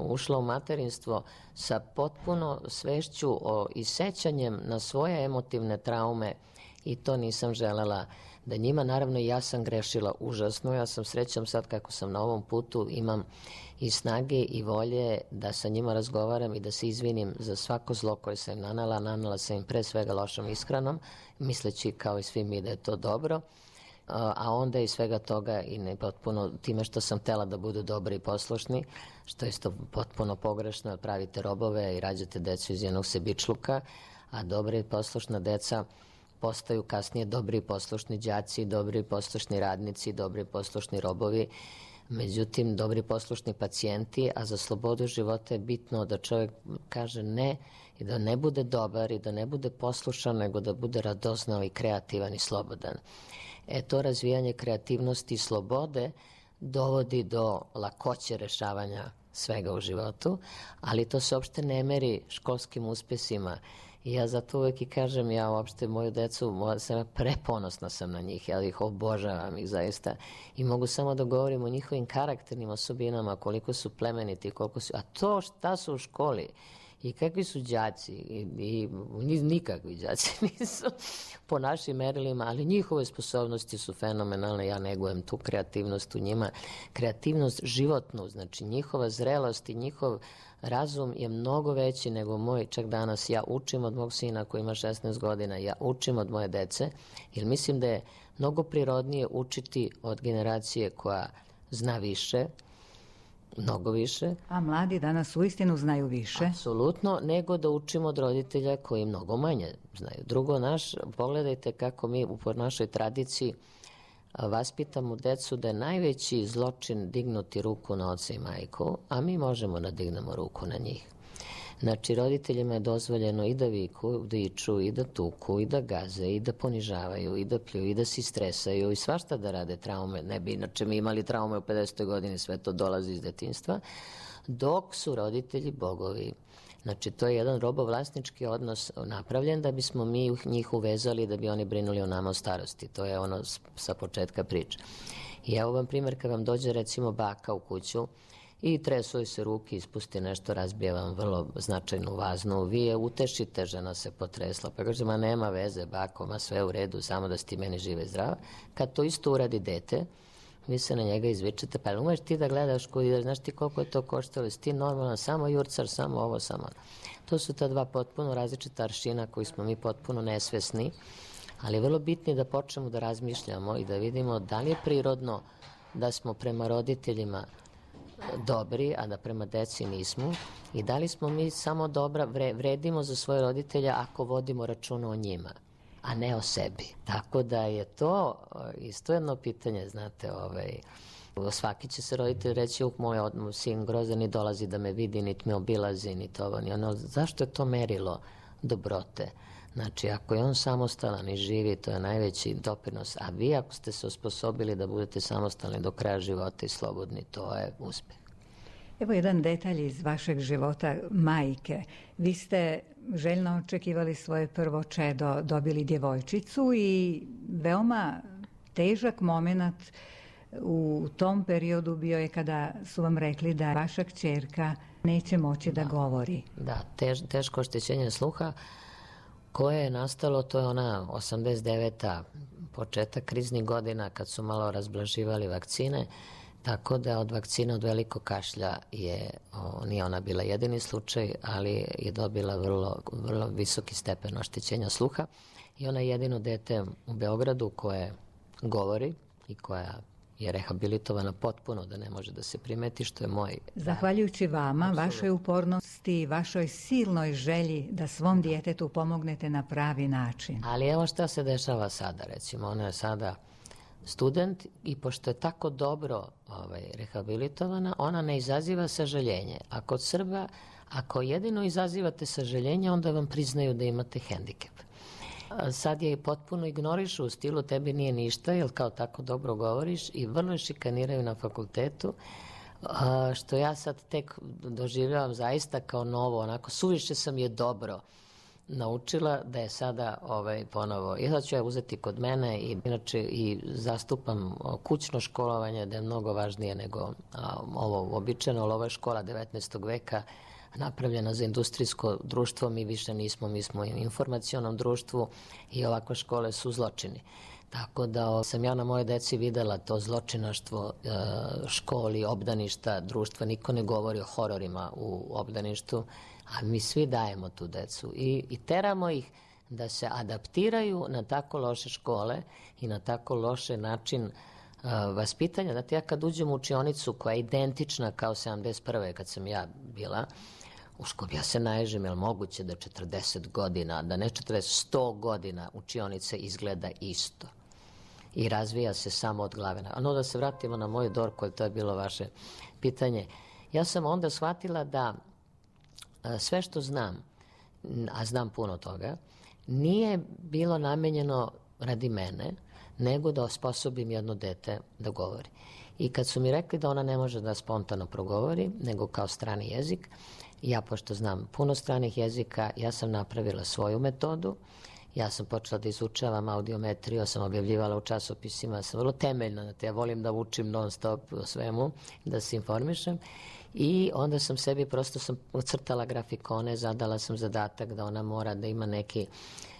ušla u materinstvo sa potpuno svešću i sećanjem na svoje emotivne traume i to nisam želela da njima, naravno i ja sam grešila užasno, ja sam srećom sad kako sam na ovom putu, imam i snage i volje da sa njima razgovaram i da se izvinim za svako zlo koje sam im nanela sam im pre svega lošom ishranom, misleći kao i svi mi da je to dobro, a onda i svega toga i ne potpuno time što sam htela da budu dobri i poslušni, što je isto potpuno pogrešno, pravite robove i rađate decu iz jednog sebičluka, a dobra i poslušna deca postaju kasnije dobri i poslušni đaci, dobri i poslušni radnici, dobri i poslušni robovi, međutim dobri i poslušni pacijenti, a za slobodu života je bitno da čovjek kaže ne i da ne bude dobar i da ne bude poslušan, nego da bude radoznao i kreativan i slobodan. To razvijanje kreativnosti i slobode dovodi do lakoće rešavanja svega u životu, ali to se uopšte ne meri školskim uspesima. I ja zato uvek i kažem, ja uopšte moju decu, preponosna sam na njih, ja ih obožavam ih zaista i mogu samo da govorim o njihovim karakternim osobinama, koliko su plemeniti, koliko su, a to šta su u školi i kakvi su đaci i nikakvi đaci nisu po našim merilima, ali njihove sposobnosti su fenomenalne, ja negujem tu kreativnost u njima, kreativnost životnu, znači njihova zrelost i njihov razum je mnogo veći nego moj, čak danas ja učim od mog sina koji ima 16 godina, ja učim od moje dece, jer mislim da je mnogo prirodnije učiti od generacije koja zna više, mnogo više. A mladi danas uistinu znaju više. Apsolutno, nego da učimo od roditelja koji mnogo manje znaju. Drugo, pogledajte kako mi po našoj tradiciji vaspitamo decu da je najveći zločin dignuti ruku na oca i majku, a mi možemo da dignemo ruku na njih. Znači, roditeljima je dozvoljeno i da viču, i da tuku, i da gaze, i da ponižavaju, i da pljuju, i da se stresaju, i svašta da rade traume. Ne bi inače mi imali traume u 50. godini, sve to dolazi iz detinjstva, dok su roditelji bogovi. Znači, to je jedan robovlasnički odnos napravljen da bismo mi njih uvezali da bi oni brinuli o nama u starosti. To je ono sa početka priče. I evo vam primjer kad vam dođe recimo baka u kuću i tresuju se ruke, ispusti nešto, razbije vam vrlo značajnu vaznu, vi je utešite, žena se potresla, pa kaže, ma nema veze bako, ma sve u redu, samo da si ti meni žive zdrava. Kad to isto uradi dete, vi se na njega izvičete, pa umeš ti da gledaš kud ideš, znaš ti koliko je to koštalo, si ti normalan, samo jurcar, samo ovo, samo ono. To su ta dva potpuno različita aršina koji smo mi potpuno nesvesni, ali je vrlo bitno da počnemo da razmišljamo i da vidimo da li je prirodno da smo prema roditeljima dobri, a da prema deci nismo i da li smo mi samo dobra, vredimo za svoje roditelje ako vodimo računa o njima, a ne o sebi. Tako da je to isto jedno pitanje, znate, svaki će se roditelj reći, moj sin grozan ni dolazi da me vidi, niti me obilazi, niti ovo, ni ono. Zašto je to merilo dobrote? Znači, ako je on samostalan i živi, to je najveći doprinos, a vi ako ste se osposobili da budete samostalni do kraja života i slobodni, to je uspeh. Evo jedan detalj iz vašeg života majke. Vi ste željno očekivali svoje prvo čedo, dobili djevojčicu i veoma težak moment u tom periodu bio je kada su vam rekli da vaša kćerka neće moći da govori. Da, teško oštećenje sluha koje je nastalo, to je ona 89. početak kriznih godina kad su malo razblaživali vakcine, tako da od vakcina od velikog kašlja nije ona bila jedini slučaj, ali je dobila vrlo visoki stepen oštećenja sluha i ona je jedino dete u Beogradu koje govori i koja je rehabilitovana potpuno da ne može da se primeti, što je moj... Zahvaljujući vama, vašoj upornosti, vašoj silnoj želji da svom djetetu pomognete na pravi način. Ali evo šta se dešava sada, recimo, ona je sada student i pošto je tako dobro rehabilitovana, ona ne izaziva sažaljenje. A kod Srba, ako jedino izazivate sažaljenje, onda vam priznaju da imate hendikep. sad je potpuno ignorišu u stilu tebi nije ništa, jer kao tako dobro govoriš i vrlo šikaniraju na fakultetu, što ja sad tek doživljavam zaista kao novo, onako suviše sam je dobro naučila da je sada ponovo. I sad ću ja uzeti kod mene i inače i zastupam kućno školovanje da je mnogo važnije nego ovo običajno, ali ovo je škola 19. veka napravljena za industrijsko društvo, mi više nismo, mi smo u informacionom društvu i ovakve škole su zločini. Tako da sam ja na moje deci videla to zločinaštvo školi, obdaništa, društva. Niko ne govori o hororima u obdaništu, a mi svi dajemo tu decu i teramo ih da se adaptiraju na tako loše škole i na tako loše način vaspitanja. Znate, ja kad uđem u učionicu koja je identična kao 71. kad sam ja bila u školi, ja se naježim, je li moguće da 40 godina, da ne 40, 100 godina učionice izgleda isto i razvija se samo od glave. No, da se vratimo na moju Dorku, jer to je bilo vaše pitanje. Ja sam onda shvatila da sve što znam, a znam puno toga, nije bilo namenjeno radi mene, nego da osposobim jedno dete da govori. I kad su mi rekli da ona ne može da spontano progovori, nego kao strani jezik, ja, pošto znam puno stranih jezika, ja sam napravila svoju metodu. Ja sam počela da izučavam audiometriju, sam objavljivala u časopisima, sam vrlo temeljna, ja volim da učim non stop o svemu, da se informišem. I onda sam sebi, prosto sam ocrtala grafikone, zadala sam zadatak da ona mora da ima neki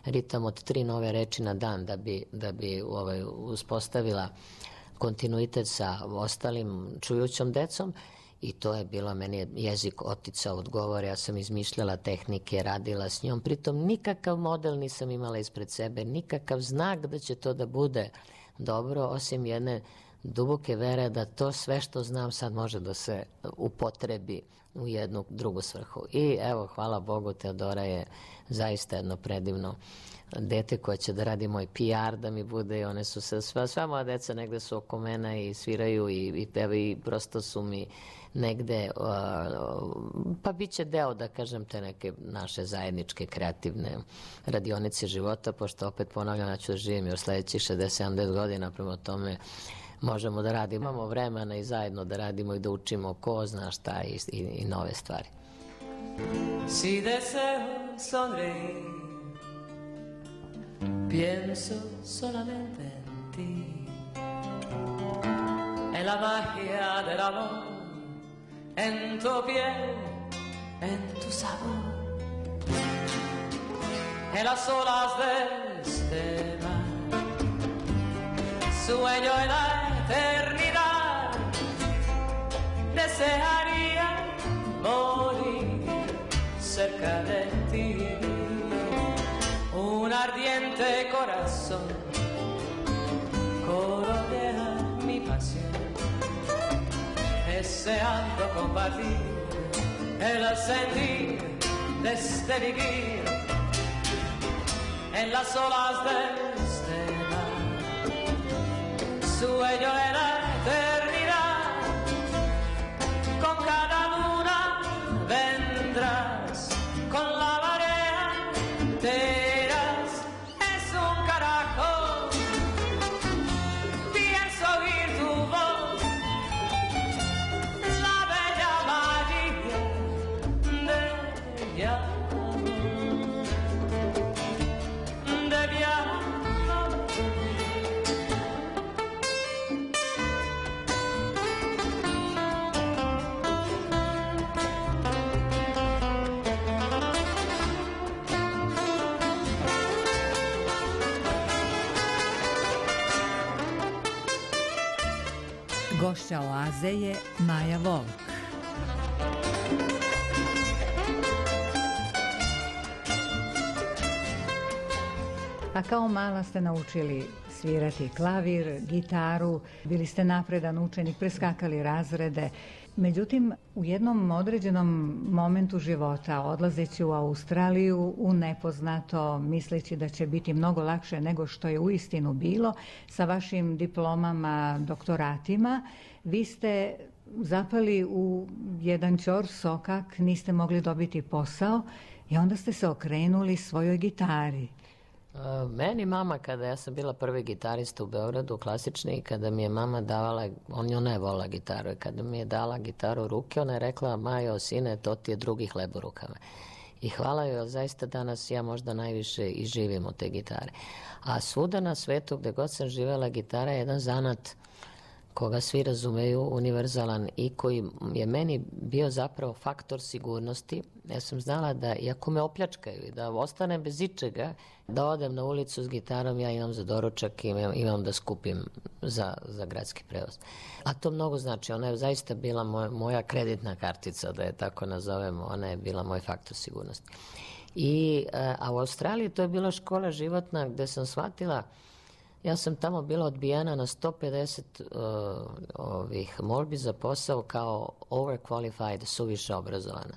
ritam od 3 nove reči na dan da bi uspostavila kontinuitet sa ostalim čujućom decom. I to je bilo, meni je jezik oticao od govora, ja sam izmišljala tehnike, radila s njom, pritom nikakav model nisam imala ispred sebe, nikakav znak da će to da bude dobro, osim jedne duboke vere da to sve što znam sad može da se upotrebi u jednu drugu svrhu. I evo, hvala Bogu, Teodora je zaista jedno predivno dete koje će da radi moj PR, da mi bude, i one su se, sva moja deca negde su oko mene i sviraju i pevaju i prosto su mi negde, pa bit će deo, da kažem, te neke naše zajedničke kreativne radionice života, pošto opet ponavljam, ja ću da živim još sledećih 60-70 godina, prema tome možemo da radimo, imamo vremena i zajedno da radimo i da učimo ko zna šta i nove stvari. Si deseo sonreír, pienso solamente en ti, en la magia del amor, en tu piel, en tu sabor, en las olas de este mar, sueño en la eternidad, desearía morir cerca de ti. Un ardiente corazón colorea mi pasión, deseando compartir el sentir de este vivir en las olas de este mar. Sueño en la eternidad, con cada luna vendrás, con la marea te Gošća Oaze je Maja Volk. A kao mala ste naučili svirati klavir, gitaru, bili ste napredan učenik, preskakali razrede. Međutim, u jednom određenom momentu života, odlazeći u Australiju, u nepoznato, misleći da će biti mnogo lakše nego što je uistinu bilo, sa vašim diplomama, doktoratima, vi ste zapali u jedan ćor sokak, niste mogli dobiti posao i onda ste se okrenuli svojoj gitari. Meni mama, kada ja sam bila prvi gitarista u Beogradu, klasični, kada mi je mama davala, ona je volila gitaru, i kada mi je dala gitaru u ruke, ona je rekla: Majo, sine, to ti je drugi hleb u rukama. I hvala joj, zaista danas ja možda najviše i živim od te gitare. A svuda na svetu, gde god sam živela, gitara je jedan zanat koga svi razumeju, univerzalan, i koji je meni bio zapravo faktor sigurnosti. Ja sam znala da, iako me opljačkaju i da ostanem bez ičega, da odem na ulicu s gitarom, ja imam za doručak i imam da skupim za gradski prevoz. A to mnogo znači. Ona je zaista bila moja kreditna kartica, da je tako nazovemo. Ona je bila moj faktor sigurnosti. A u Australiji to je bila škola životna gde sam shvatila. Ja sam tamo bila odbijena na 150 molbi za posao kao overqualified, suviše obrazovana.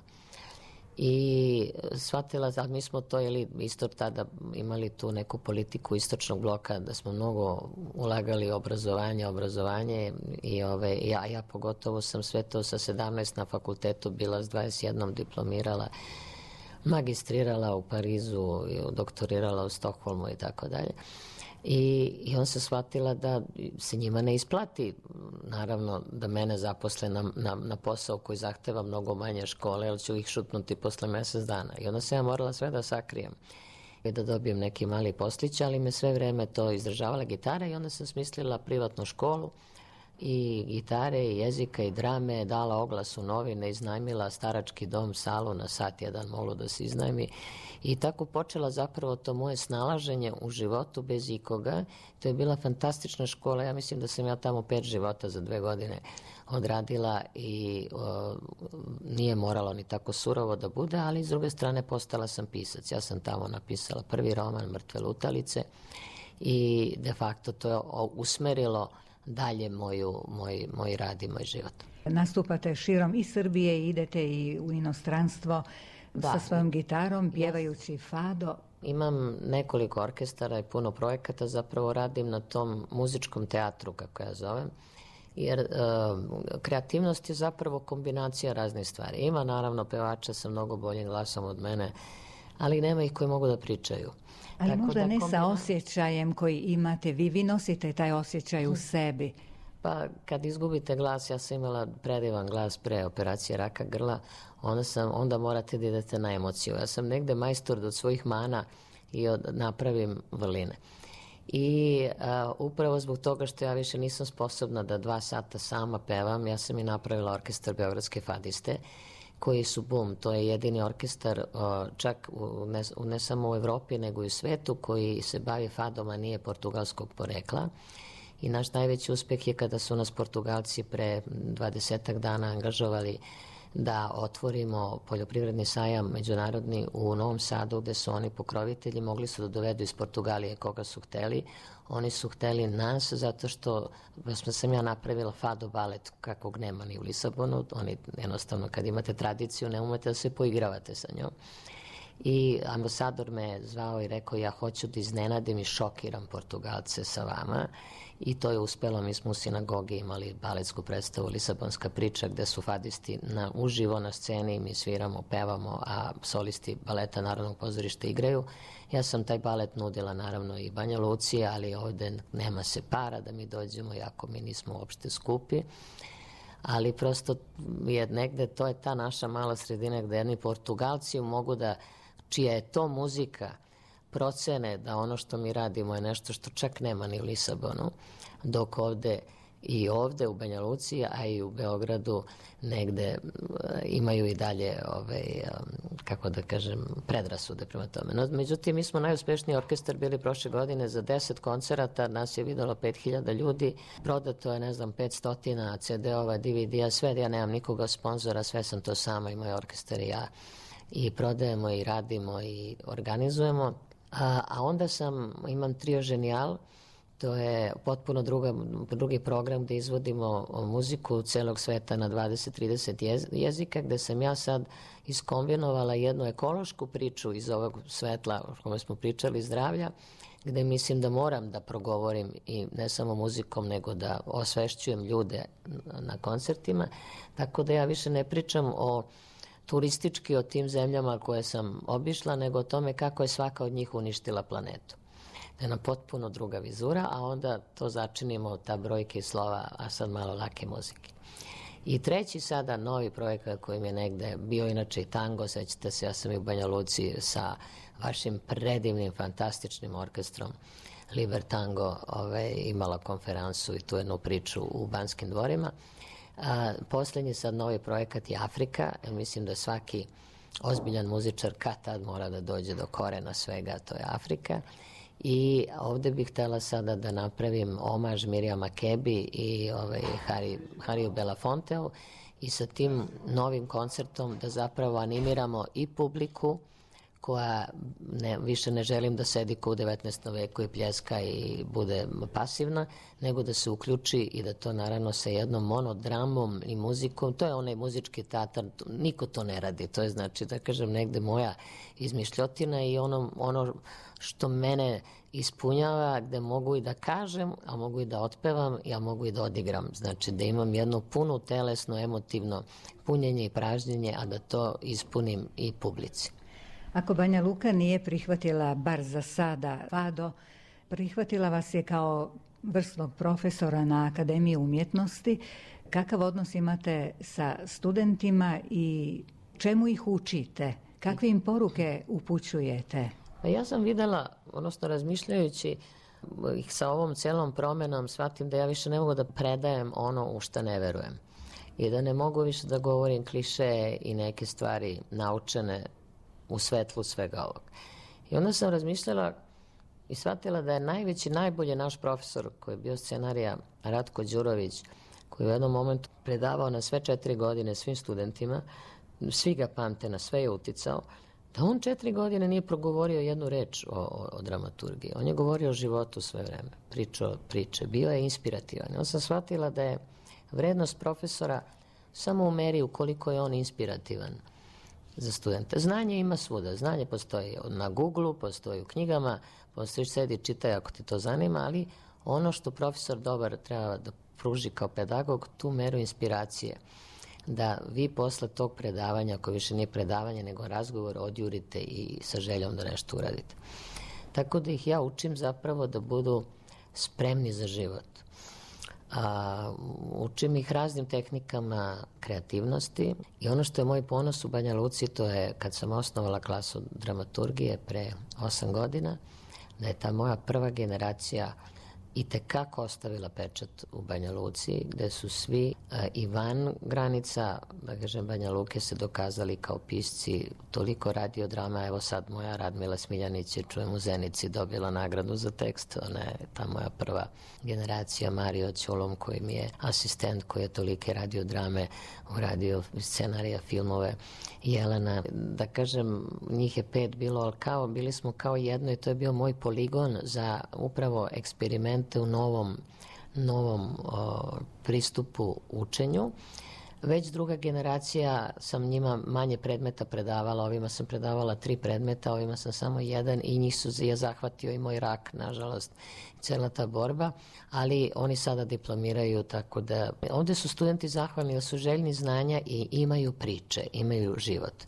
I shvatila, a mi smo to, isto tada imali tu neku politiku istočnog bloka, da smo mnogo ulagali obrazovanje i ja pogotovo sam sve to sa 17 na fakultetu bila, s 21 diplomirala, magistrirala u Parizu, doktorirala u Stokholmu i tako dalje. I on se shvatila da se njima ne isplati, naravno, da mene zaposle na posao koji zahteva mnogo manje škole, jer ću ih šutnuti posle mesec dana. I onda sam ja morala sve da sakrijem i da dobijem neki mali poslić, ali me sve vreme to izdržavala gitara, i onda sam smislila privatnu školu i gitare, i jezika, i drame, dala oglas u novine, iznajmila starački dom, salu na sat jedan moglo da se iznajmi, i tako počela zapravo to moje snalaženje u životu bez ikoga. To je bila fantastična škola. Ja mislim da sam ja tamo 5 života za 2 godine odradila i nije moralo ni tako surovo da bude, ali s druge strane postala sam pisac. Ja sam tamo napisala prvi roman Mrtve lutalice i de facto to je usmerilo dalje moj rad i moj život. Nastupate širom i Srbije i idete i u inostranstvo sa svojom gitarom, pjevajući fado. Imam nekoliko orkestara i puno projekata, zapravo radim na tom muzičkom teatru, kako ja zovem, jer kreativnost je zapravo kombinacija raznih stvari. Ima naravno pevača sa mnogo boljim glasom od mene, ali nema ih koji mogu da pričaju. Ali možda ne sa osjećajem koji imate, vi nosite taj osjećaj u sebi. Pa kad izgubite glas, ja sam imala predivan glas pre operacije raka grla, onda morate da idete na emociju. Ja sam negde majstor od svojih mana i napravim vrline. I upravo zbog toga što ja više nisam sposobna da 2 sata sama pevam, ja sam i napravila orkestar Beogradske fadiste, koji su bum, to je jedini orkestar čak ne samo u Evropi nego i u svetu koji se bavi fadom, a nije portugalskog porekla. I naš najveći uspeh je kada su nas Portugalci pre 20 dana angažovali da otvorimo poljoprivredni sajam međunarodni u Novom Sadu, gde su oni pokrovitelji, mogli su da dovedu iz Portugalije koga su hteli. Oni su hteli nas zato što sam ja napravila fado balet kakvog nema ni u Lisabonu. Oni jednostavno, kad imate tradiciju, ne umete da se poigravate sa njom. I ambasador me zvao i rekao: ja hoću da iznenadim i šokiram Portugalce sa vama. I to je uspelo. Mi smo u sinagogi imali baletsku predstavu Lisabonska priča, gde su fadisti uživo na sceni, mi sviramo, pevamo, a solisti baleta Narodnog pozorišta igraju. Ja sam taj balet nudila naravno i Banja Luci, ali ovde nema se para da mi dođemo, iako mi nismo uopšte skupi. Ali prosto je negde, to je ta naša mala sredina gde jedni Portugalci mogu da, čija je to muzika, procene da ono što mi radimo je nešto što čak nema ni u Lisabonu, dok ovde u Banja Luci, a i u Beogradu negde imaju i dalje, kako da kažem, predrasude prema tome. No, međutim, mi smo najuspešniji orkestar bili prošle godine, za 10 koncerata nas je videlo 5000 ljudi, prodato je, 500 CD-ova, DVD-a, sve, ja nemam nikoga sponzora, sve sam to sama i moj orkestar i ja, i prodajemo i radimo i organizujemo. A onda imam Trio Ženijal, to je potpuno drugi program gde izvodimo muziku celog sveta na 20-30 jezika, gde sam ja sad iskombinovala jednu ekološku priču iz ovog svetla o kome smo pričali, zdravlja, gde mislim da moram da progovorim i ne samo muzikom, nego da osvešćujem ljude na koncertima, tako da ja više ne pričam turistički o tim zemljama koje sam obišla, nego o tome kako je svaka od njih uništila planetu. da je nam potpuno druga vizura, a onda to začinimo, ta brojke i slova, a sad malo lake muzike. I treći sada novi projekat koji mi je negde bio inače i tango, sećate se, ja sam i u Banja Luci sa vašim predivnim, fantastičnim orkestrom Liber Tango imala konferansu i tu jednu priču u Banskim dvorima. Poslednji sad novi projekat je Afrika, jer mislim da svaki ozbiljan muzičar kad tad mora da dođe do korena svega, to je Afrika. I ovde bih htela sada da napravim omaž Mirjam Makebi i Hariju Belafonteu i sa tim novim koncertom da zapravo animiramo i publiku koja više ne želim da sedi kao u 19. veku i pljeska i bude pasivna, nego da se uključi i da to naravno sa jednom monodramom i muzikom, to je onaj muzički teatar, niko to ne radi, to je znači da kažem negde moja izmišljotina i ono što mene ispunjava, gde mogu i da kažem, a mogu i da otpevam, ja mogu i da odigram, znači da imam jedno puno telesno, emotivno punjenje i pražnjenje, a da to ispunim i publici. Ako Banja Luka nije prihvatila, bar za sada, fado, prihvatila vas je kao vrsnog profesora na Akademiji umjetnosti, kakav odnos imate sa studentima i čemu ih učite? Kakve im poruke upućujete? Ja sam videla, odnosno razmišljajući ih sa ovom celom promenom, shvatim da ja više ne mogu da predajem ono u šta ne verujem. I da ne mogu više da govorim klišeje i neke stvari naučene u svetlu svega ovog. I onda sam razmišljala i shvatila da je najbolji naš profesor, koji je bio scenarija, Ratko Đurović, koji je u jednom momentu predavao na sve 4 godine svim studentima, svi ga pamte, na sve je uticao, da on 4 godine nije progovorio jednu reč o dramaturgiji. On je govorio o životu sve vreme, pričao priče, bio je inspirativan. Onda sam shvatila da je vrednost profesora samo u meri ukoliko je on inspirativan za studente. Znanje ima svuda. Znanje postoji na Google-u, postoji u knjigama, postoji sedi, čitaj ako te to zanima, ali ono što profesor dobar treba da pruži kao pedagog, tu meru inspiracije, da vi posle tog predavanja, ako više nije predavanje nego razgovor, odjurite i sa željom da nešto uradite. Tako da ih ja učim zapravo da budu spremni za život. Učim ih raznim tehnikama kreativnosti i ono što je moj ponos u Banja Luci, to je kad sam osnovala klasu dramaturgije pre 8 godina, da je ta moja prva generacija i tekako ostavila pečat u Banja Luci, gde su svi i van granica, da kažem, Banja Luke se dokazali kao pisci, toliko radiodrama, evo sad moja Radmila Smiljanić je, čujem u Zenici, dobila nagradu za tekst, ona je ta moja prva generacija, Mario Ćolom koji mi je asistent, koji je tolike radiodrame uradio, scenarija, filmove, Jelena, da kažem, njih je 5 bilo, ali bili smo kao jedno i to je bio moj poligon za upravo eksperimente u novom pristupu učenju. Već druga generacija sam njima manje predmeta predavala, ovima sam predavala 3 predmeta, ovima sam samo 1 i njih je zahvatio i moj rak, nažalost, cela ta borba, ali oni sada diplomiraju, tako da ovde su studenti zahvalni jer su željni znanja i imaju priče, imaju život.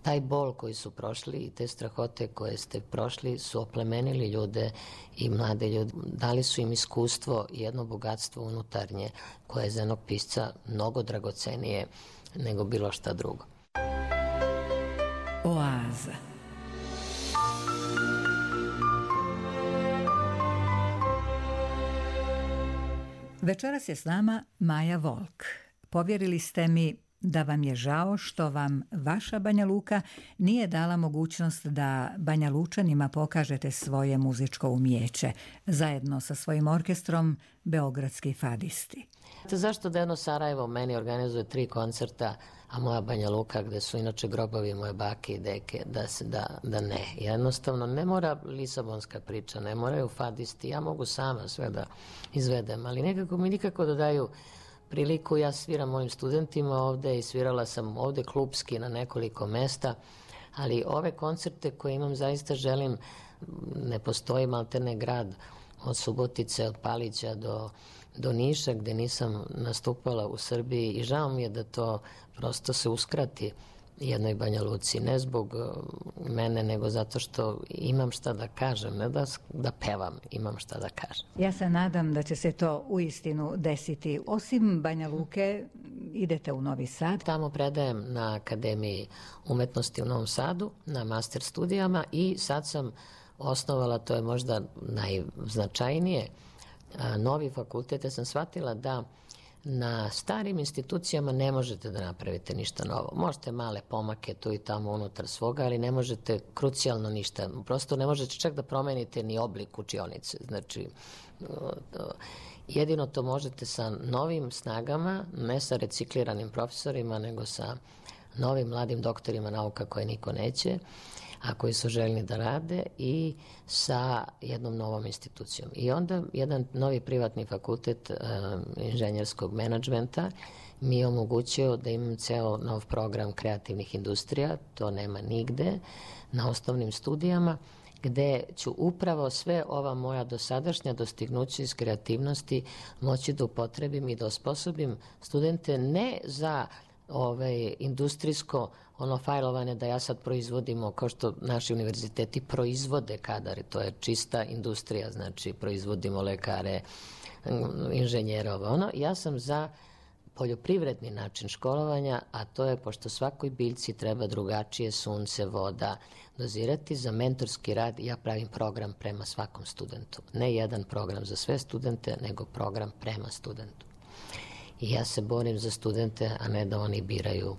Taj bol koji su prošli i te strahote koje ste prošli su oplemenili ljude i mlade ljude. Dali su im iskustvo i jedno bogatstvo unutarnje koje je za jednog pisca mnogo dragocenije nego bilo šta drugo. Oaza. Večeras je s nama Maja Volk. Povjerili ste mi da vam je žao što vam vaša Banja Luka nije dala mogućnost da Banja Lučanima pokažete svoje muzičko umijeće, zajedno sa svojim orkestrom Beogradski fadisti. Zašto da jedno Sarajevo meni organizuje 3 koncerta, a moja Banja Luka, gde su inače grobovi moje bake i deke, da ne. Jednostavno, ne mora lisabonska priča, ne moraju fadisti, ja mogu sama sve da izvedem, ali nekako mi nikako da daju priliku. Ja sviram mojim studentima ovde i svirala sam ovde klubski na nekoliko mesta, ali ove koncerte koje imam zaista želim, ne postoji maltene grad od Subotice, od Palića do Niša gde nisam nastupala u Srbiji i žao mi je da to prosto se uskrati jednoj Banja Luci, ne zbog mene, nego zato što imam šta da kažem, ne da pevam, imam šta da kažem. Ja se nadam da će se to uistinu desiti. Osim Banja Luke, idete u Novi Sad. Tamo predajem na Akademiji umetnosti u Novom Sadu, na master studijama i sad sam osnovala, to je možda najznačajnije, novi fakultet. Ja sam shvatila da na starim institucijama ne možete da napravite ništa novo. Možete male pomake tu i tamo unutar svoga, ali ne možete krucijalno ništa. Prosto ne možete čak da promenite ni oblik učionice. Znači, jedino to možete sa novim snagama, ne sa recikliranim profesorima, nego sa novim mladim doktorima nauka koje niko neće, a koji su željni da rade, i sa jednom novom institucijom. I onda jedan novi privatni fakultet inženjerskog menadžmenta mi je omogućio da imam ceo nov program kreativnih industrija, to nema nigde, na osnovnim studijama, gde ću upravo sve ova moja dosadašnja dostignuća iz kreativnosti moći da upotrebim i da osposobim studente ne za industrijsko fajlovanje, da ja sad proizvodimo kao što naši univerziteti proizvode kadar, to je čista industrija, znači proizvodimo lekare, inženjere, ja sam za poljoprivredni način školovanja, a to je, pošto svakoj biljci treba drugačije sunce, voda, dozirati, za mentorski rad ja pravim program prema svakom studentu. Ne jedan program za sve studente, nego program prema studentu. I ja se borim za studente, a ne da oni biraju.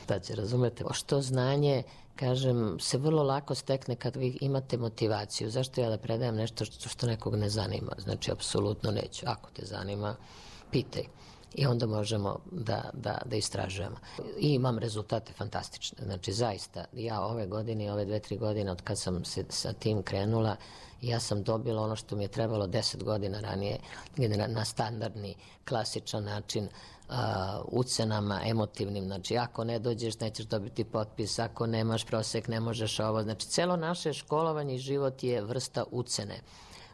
Da će, razumete, što znanje, kažem, se vrlo lako stekne kad vi imate motivaciju. Zašto ja da predajem nešto što nekog ne zanima? Znači, apsolutno neću. Ako te zanima, pitaj. I onda možemo da istražujemo. I imam rezultate fantastične. Znači, zaista, ja ove godine i ove 2-3 godine od kad sam se sa tim krenula, ja sam dobila ono što mi je trebalo 10 godina ranije, na standardni, klasičan način, ucenama, emotivnim. Znači, ako ne dođeš, nećeš dobiti potpis, ako nemaš prosek, ne možeš ovo. Znači, celo naše školovanje i život je vrsta ucene,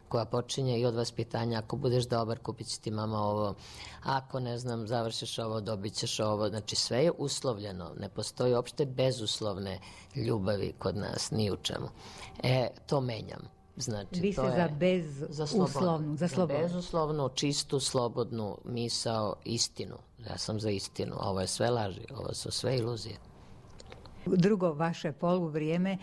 koja počinje i od vaspitanja. Ako budeš dobar, kupit će ti mama ovo. Ako, ne znam, završiš ovo, dobit ćeš ovo. Znači, sve je uslovljeno. Ne postoji uopšte bezuslovne ljubavi kod nas, ni u čemu. To menjam. Znači, vi ste za bezuslovnu, za slobodnu. Bezuslovnu, čistu, slobodnu misao, istinu. Ja sam za istinu. Ovo je sve laži, ovo su sve iluzije. Drugo vaše poluvrijeme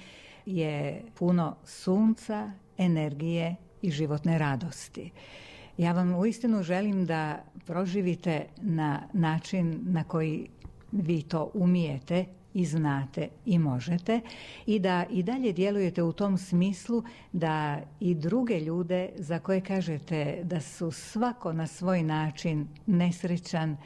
je puno sunca, energije i životne radosti. Ja vam uistinu želim da proživite na način na koji vi to umijete i znate i možete, i da i dalje djelujete u tom smislu da i druge ljude za koje kažete da su svako na svoj način nesrećan,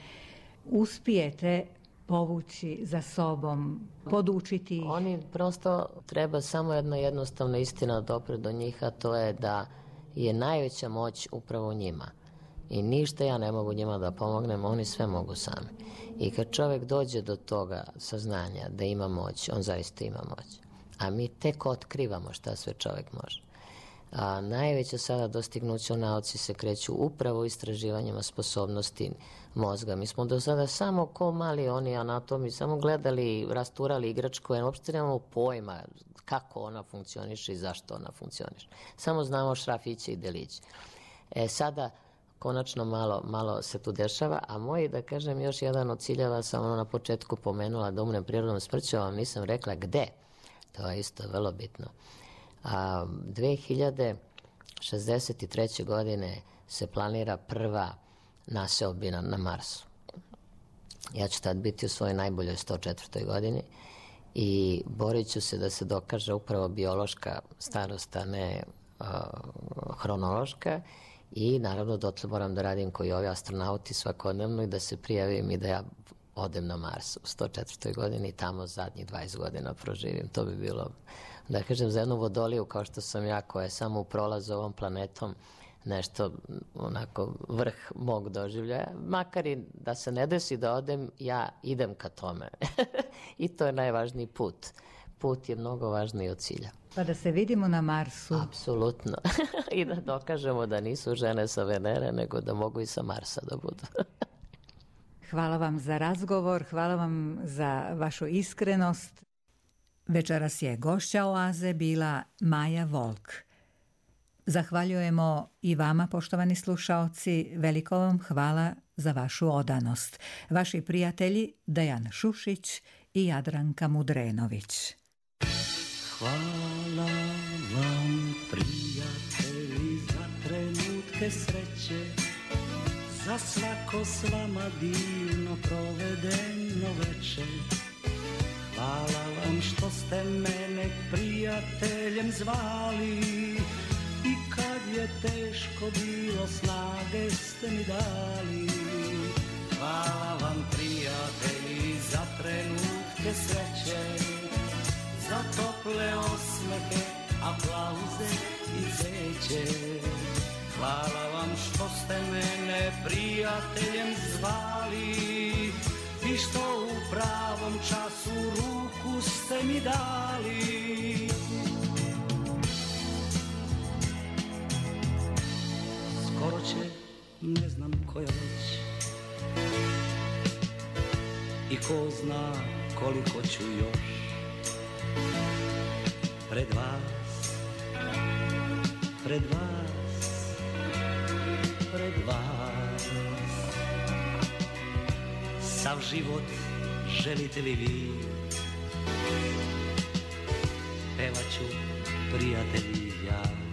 uspijete povući za sobom, podučiti ih. Oni prosto, treba samo jedna jednostavna istina dopre do njih, a to je da je najveća moć upravo u njima. I ništa ja ne mogu njima da pomognem, oni sve mogu sami. I kad čovjek dođe do toga saznanja da ima moć, on zaista ima moć. A mi tek otkrivamo šta sve čovjek može. A najveća sada dostignuća u nauci se kreću upravo istraživanjima sposobnosti mozga. Mi smo do sada samo ko mali oni anatomi, samo gledali, rasturali igračku, jer uopšte nemamo pojma kako ona funkcioniše i zašto ona funkcioniše. Samo znamo šrafiće i deliće. Sada konačno malo se tu dešava, a moj, da kažem, još jedan od ciljeva sam na početku pomenula, da umrem prirodnom smrću, a vam nisam rekla gde. To je isto vrlo bitno. 2063. godine se planira prva naseobina na Marsu. Ja ću tad biti u svojoj najboljoj 104. godini i borit ću se da se dokaže upravo biološka starost, a ne hronološka. I naravno dotle moram da radim koji ovi astronauti svakodnevno i da se prijavim i da ja odem na Mars u 104. godini i tamo zadnjih 20 godina proživim. To bi bilo, da kažem, za jednu vodoliju kao što sam ja, koja je samo u prolazu ovom planetom, nešto onako vrh mog doživljaja. Makar i da se ne desi da odem, ja idem ka tome. I to je najvažniji put. Put je mnogo važniji od cilja. Pa da se vidimo na Marsu. Apsolutno. I da dokažemo da nisu žene sa Venere, nego da mogu i sa Marsa da budu. Hvala vam za razgovor, hvala vam za vašu iskrenost. Večeras je gošća Oaze bila Maja Volk. Zahvaljujemo i vama, poštovani slušaoci, veliko vam hvala za vašu odanost. Vaši prijatelji Dejan Šušić i Jadranka Mudrenović. Hvala vam, prijatelji, za trenutke sreće, za svako s vama divno provedeno večer. Hvala vam što ste mene prijateljem zvali i kad je teško bilo snage ste mi dali. Hvala vam, prijatelji, za trenutke sreće, za tople osmehe, aplauze i cveće. Hvala vam što ste mene prijateljem zvali i što u pravom času ruku ste mi dali. Skoro će, ne znam koja već, i ko zna koliko ću još pred vas, pred vas, pred vas. Sav život želite li vi, pevat ću, prijatelji, ja.